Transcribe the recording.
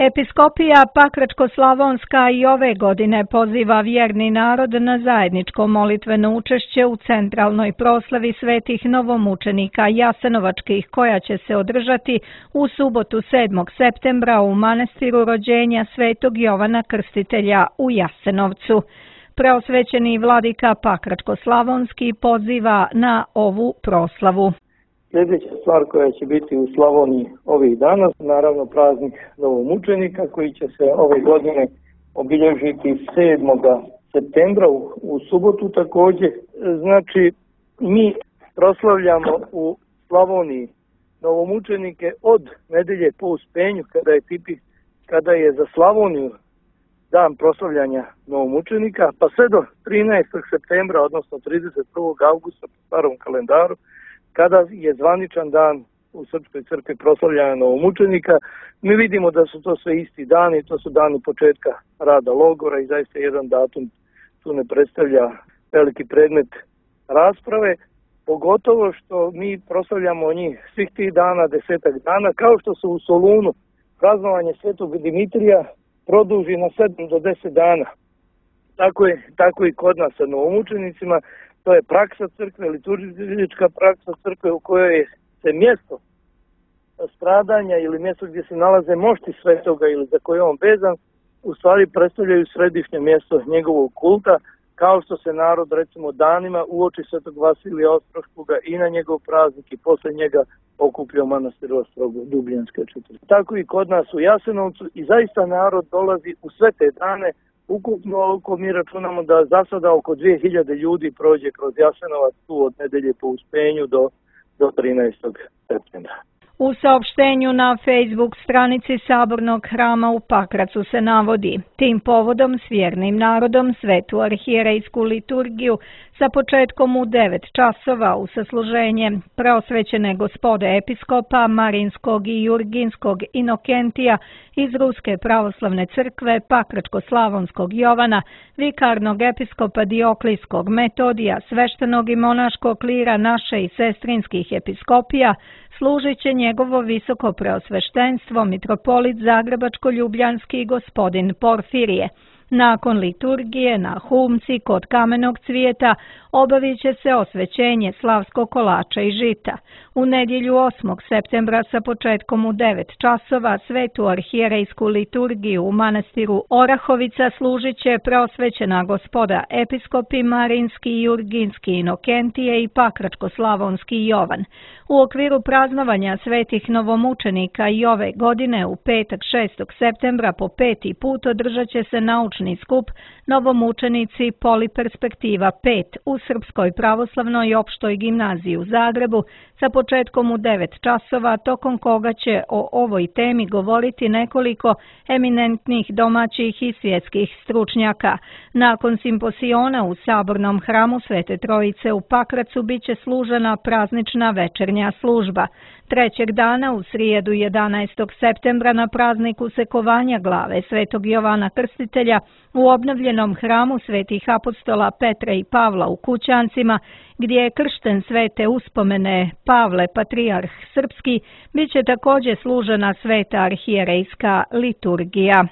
Episkopija Pakračko-slavonska i ove godine poziva vjerni narod na zajedničko molitveno učešće u centralnoj proslavi svetih novomučenika jasenovačkih koja će se održati u subotu 7. septembra u manastiru rođenja svetog Jovana Krstitelja u Jasenovcu. Preosvećeni vladika Pakračko-slavonski poziva na ovu proslavu. Sljedeća stvar koja će biti u Slavoniji ovih dana, naravno praznik novomučenika koji će se ove godine obilježiti 7. septembra u subotu također. Znači, mi proslavljamo u Slavoniji novomučenike od nedelje po Uspenju, kada je za Slavoniju dan proslavljanja novomučenika, pa sve do 13. septembra, odnosno 31. augusta po starom kalendaru, kada je zvaničan dan u Srpskoj crkvi proslavljanja novomučenika. Mi vidimo da su to sve isti dani, to su dani početka rada logora i zaista jedan datum tu ne predstavlja veliki predmet rasprave, pogotovo što mi proslavljamo njih svih tih dana, 10 dana, kao što se u Solunu praznovanje Svetog Dimitrija produži na 7 do 10 dana. Tako i kod nas sa novomučenicima. To je praksa crkve, liturgička praksa crkve u kojoj se mjesto stradanja ili mjesto gdje se nalaze mošti svetoga ili za koje je on vezan, u stvari predstavljaju središnje mjesto njegovog kulta, kao što se narod recimo danima uoči svetog Vasilija Ostroškoga i na njegov praznik i posle njega okuplja u manastiru Ostrogo Dubljanske četvrti. Tako i kod nas u Jasenovcu i zaista narod dolazi u sve te dane. Ukupno mi računamo da za sada oko 2000 ljudi prođe kroz Jasenovac tu od nedelje po Uspenju do 13. septembra. U saopštenju na Facebook stranici Sabornog hrama u Pakracu se navodi: tim povodom s vjernim narodom svetu arhijerejsku liturgiju sa početkom u 9 časova u sasluženje preosvećene gospode episkopa Marinskog i Jurginskog Inokentija iz Ruske pravoslavne crkve, Pakračko-slavonskog Jovana, vikarnog episkopa Dioklijskog Metodija, sveštenog i monaškog klira naše i sestrinskih episkopija, služit će njegovo visoko preosveštenstvo mitropolit Zagrebačko-ljubljanski gospodin Porfirije. Nakon liturgije na Humci kod Kamenog cvijeta obavit će se osvećenje slavskog kolača i žita. U nedjelju 8. septembra sa početkom u 9 časova svetu arhijerejsku liturgiju u manastiru Orahovica služit će preosvećena gospoda episkopi Marinski i Jurginski Inokentije i Pakračko-slavonski Jovan. U okviru praznovanja svetih novomučenika i ove godine u petak 6. septembra po 5. put održat će se naučni skup Novomučenici Poliperspektiva 5 u Srpskoj pravoslavnoj opštoj gimnaziji u Zagrebu sa početkom u 9 časova, tokom koga će o ovoj temi govoriti nekoliko eminentnih domaćih i svjetskih stručnjaka. Nakon simposiona u Sabornom hramu Svete Trojice u Pakracu bit će služena praznična večernja služba. Trećeg dana u srijedu 11. septembra na prazniku sekovanja glave svetog Jovana Krstitelja u obnovljenom hramu svetih apostola Petra i Pavla u Kućancima, gdje je kršten svete uspomene Pavle Patrijarh Srpski, bit će također služena sveta arhijerejska liturgija.